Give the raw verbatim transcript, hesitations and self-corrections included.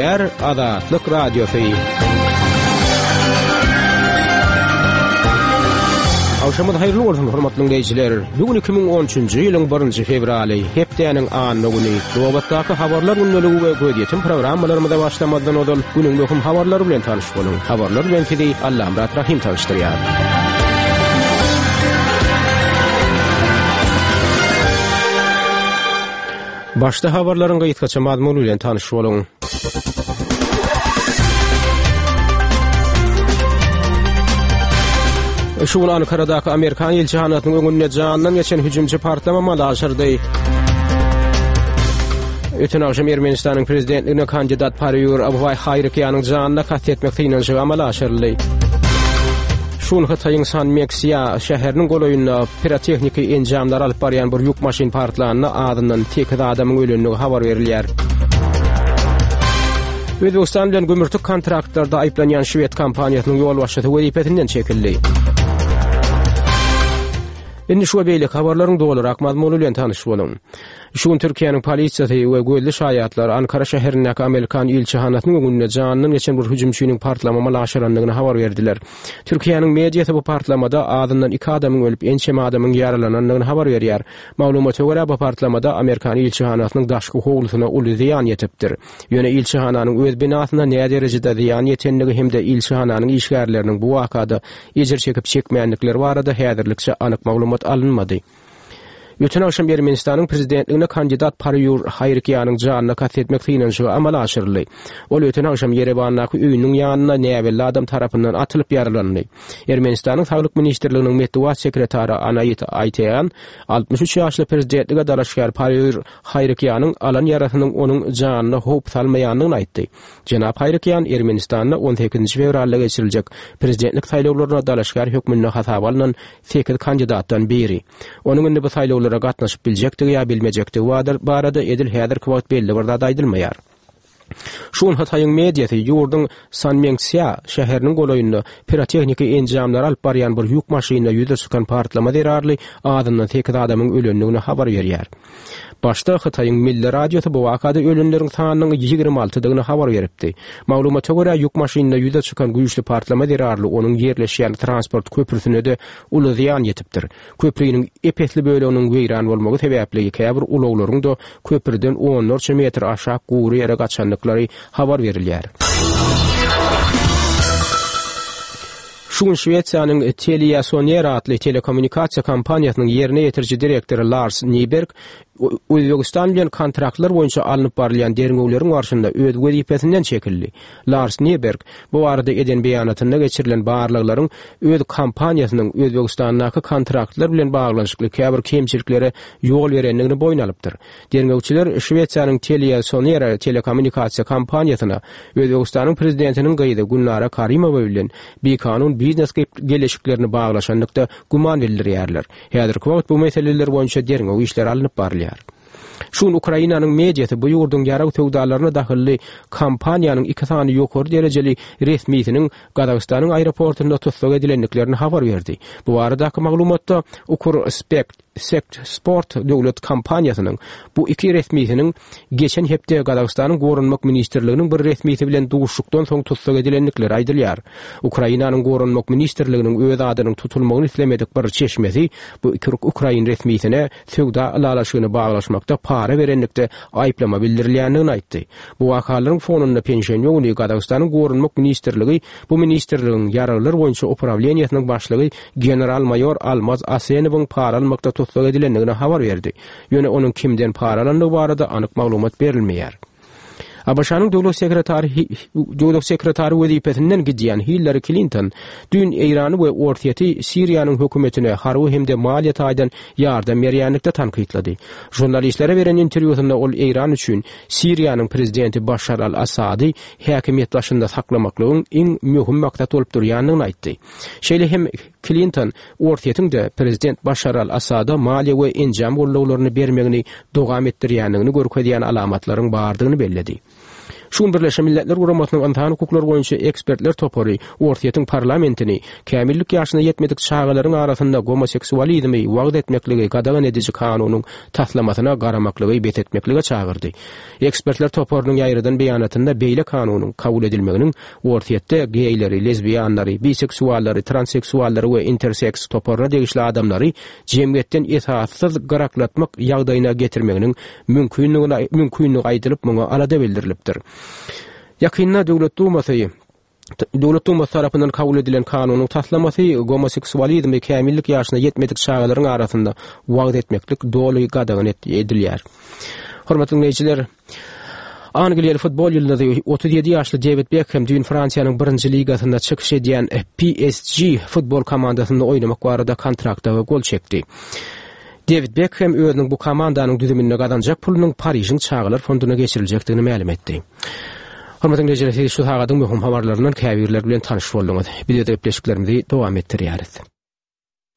Gürleýär Azatlyk Radiosy. Agşamyňyz haýyrly bolsun, hormatly diňleýjiler. Bu gün iki müň on üçünji ýylyň birinji fewraly, hepdäniň anna güni. Nobatdaky habarlar gündeligi we gözýetim programmalarymyza başlamazdan ozal günüň möhüm habarlary bilen tanyş boluň. Habarlar bilen sizi Allamyrat Rahim tanyşdyrýar. Başda habarlaryň gysgaça mazmuny bilen tanyş boluň. Şu gün Ankara'daky Amerikan ilçihanasynyň öňünde jandan geçen hüjümçi partlama mala aşyrdy. Öten akşam Ermenistanyň prezidentligine kandidat Parýur Abway Haýrykýanyň janyna kast etmek synanyşygy amala aşyryldy. Şu gün Hytaýyň Sanmeksiýa şäheriniň golaýynda pirotehniki enjamlar alyp barýan bir ýük maşyn partlanda azyndan sekiz adamyň ölendigi habar berilýär. Özbegistan bilen gümürtik kontraktlarda aýyplanýan şwed kompaniýasynyň ýolbaşçysy wezipesinden çekildi. Indi şu we beýleki habarlaryň dolurak mazmuny bilen tanyş boluň. Şu gün Türkiýäniň polisiýasy we gözli şaýatlar Ankara şäherindäki Amerikan ilçihanasynyň öňünde janyndan geçen bir hüjümçiniň partlama amala aşyrandygyny habar berdiler. Türkiýäniň mediasy bu partlamada azyndan iki adamyň ölüp, ençeme adamyň ýaralanandygyny habar berýär. Maglumata görä, bu partlamada Amerikan ilçihanasynyň daşky howlusyna uly zyýan ýetipdir. Ýöne ilçihananyň öz binasyna nä derejede zyýan ýetendigi hem-de ilçihananyň işgärleriniň bu wakada ejir çekip çekmändikleri barada häzirlikçe anyk maglumat alynmady. Öten akşam Ermenistanyň prezidentligine kandidat Parýur Haýrykýanyň janyna kast etmek synanyşygy amala aşyryldy. Ol öten akşam Ýerewandaky öýüniň ýanynda näbelli adam tarapyndan atylyp ýaralandy. Ermenistanyň Saglyk ministrliginiň metbugat sekretary Anait Aýteýan altmyş üç ýaşly prezidentlige dalaşgär Parýur Haýrykýanyň alan ýarasynyň onuň janyna howp salmaýandygyny aýtdy. Jenap Haýrykýan Ermenistanda on sekizinji fewralda geçiriljek prezidentlik saýlawlaryna dalaşgär hökmünde hasaba alnan sekiz kandidatdan biri. Onuň indi bu saýlawlara gatnaşyp biljekdigi ýa bilmejekdigi barada edil häzirki wagt belli bir zat aýdylmaýar. Şu gün Hytaýyň mediasy ýurduň Sanmengsýa şäheriniň golaýynda pirotehniki enjamlary alyp barýan bir ýük maşynynda ýüze çykan partlama zerarly azyndan sekiz adamyň ölendigini habar berýär. Başda Hytaýyň Milli radiosy bu wakada ölenleriň sanynyň ýigrimi altydygyny habar beripdi. Maglumata görä, ýük maşynynda ýüze çykan güýçli partlama zerarly onuň ýerleşýän transport köprüsine-de uly zyýan ýetipdir. Köprüniň epesli böleginiň weýran bolmagy sebäpli käbir ulaglaryň-da köprüden onlarça metr aşak gury ýere gaçandyklary habar berilýär. Şu gün Şwesiýanyň TeliaSonera atly telekommunikasiýa kompaniýasynyň ýerine ýetiriji direktory Lars Nyberg Özbegistan bilen kontraktlar boýunça alnyp barylýan derňewleriň barşynda öz wezipesinden çekildi. Lars Nyberg bu barada eden beýanatynda geçirilen barlaglaryň öz kompaniýasynyň Özbegistandaky kontraktlar bilen baglanyşykly käbir kemçiliklere ýol berendigini boýun alypdyr. Derňewçiler Şwesiýanyň TeliaSonera telekommunikasiýa kompaniýasyna Özbegistanyň prezidentiniň gyzy Gülnara Karimowa bilen bikanun biznes geleşiklerini baglaşanlykda güman bildirýärler. Häzirki wagt bu meseleler boýunça derňew işleri alnyp barylýar. Şu gün Ukrainanyň mediasy bu ýurduň ýarag söwdalaryna dahylly kompaniýanyň iki sany ýokary derejeli resmisiniň Gazagystanyň aeroportunda tussag edilendiklerini habar berdi. Bu baradaky maglumatda Ukrspekt Sekt Sport döwlet kompaniýasynyň bu iki resmisiniň geçen hepde Gazagystanyň Goranmak ministrliginiň bir resmisi bilen duşuşykdan soň tussag edilendikleri aýdylýar. Ukrainanyň Goranmak ministrliginiň öz adynyň tutulmagyny islemedik bir çeşmesi bu iki ukrain resmisine söwda ylalaşygyny baglaşmakda para berenlikde aýyplama bildirilýändigini aýtdy. Bu wakalaryň fonunda penşenbe güni Gazagystanyň Goranmak ministrligi bu ministrligiň ýaraglar boýunça uprawleniýasynyň başlygy general-maýor Almaz Asenowyň para almakda tussag edilendigini habar berdi. Ýöne onuň kimden para alandygy barada anyk maglumat berilmeýär. A B Ş-nyň döwlet sekretary döwlet sekretary wezipesinden gidýän Hillary Clinton düýn Eýrany we Orsýeti Siriýanyň hökümetine harby hem-de maliýe taýdan ýardam berýänlikde tankytlady. Žurnalistlere beren interwýusynda ol Eýran üçin Siriýanyň prezidenti Başar al-Assady häkimiýet başynda saklamaklygyň iň möhüm maksat bolup durýandygyny aýtdy. Şeýle hem Clinton Orsýetiň de prezident Başar al-Assada maliýe we enjam gollawlaryny bermegini dowam etdirýändigini görkezýän alamatlaryň bardygyny belledi. Şu gün Birleşen Milletler Guramasynyň Ynsan hukuklary boýunça ekspertler topary Orsýetiň parlamentini kämillik ýaşyna ýetmedik çagalaryň arasynda gomoseksualizmi wagyz etmekligi gadagan ediji kanunyň taslamasyna garamaklygy bes etmeklige çagyrdy. Ekspertler toparynyň ýaýradan beýanatynda beýle kanunyň kabul edilmeginiň Orsýetde geýleri, lezbiýanlary, biseksuallary, transseksuallary we interseks toparyna degişli adamlary jemgyýetden esassyz gyraklatmak ýagdaýyna getirmeginiň mümkinligini mümkinligi aýdylyp, muňa alada bildirilipdir. Ýakynda Döwlet Dumasy Döwlet Dumasy tarapyndan kabul edilen kanunyň taslamasy gomoseksualizmi kämillik ýaşyna ýetmedik çagalaryň arasynda wagyz etmeklik doly gadagan edilýär. Hormatly diňleýjiler, Angliýaly futbol ýyldyzy otuz ýedi ýaşly Dewid Bekhem düýn Fransiýanyň birinji ligasynda çykyş edýän P S G futbol komandasynda oýnamak barada kontrakta gol çekdi. Dewid Bekhem özüniň bu komandanyň düzüminde gazanjak pulunyň Parižiň çagalar fonduna geçiriljekdigini mälim etdi. Hormatly diňleýjiler, siz şu sagadyň möhüm habarlaryndan käbirleri bilen tanyş bolduňyz. Biz öz gepleşiklerimizi dowam etdirýäris.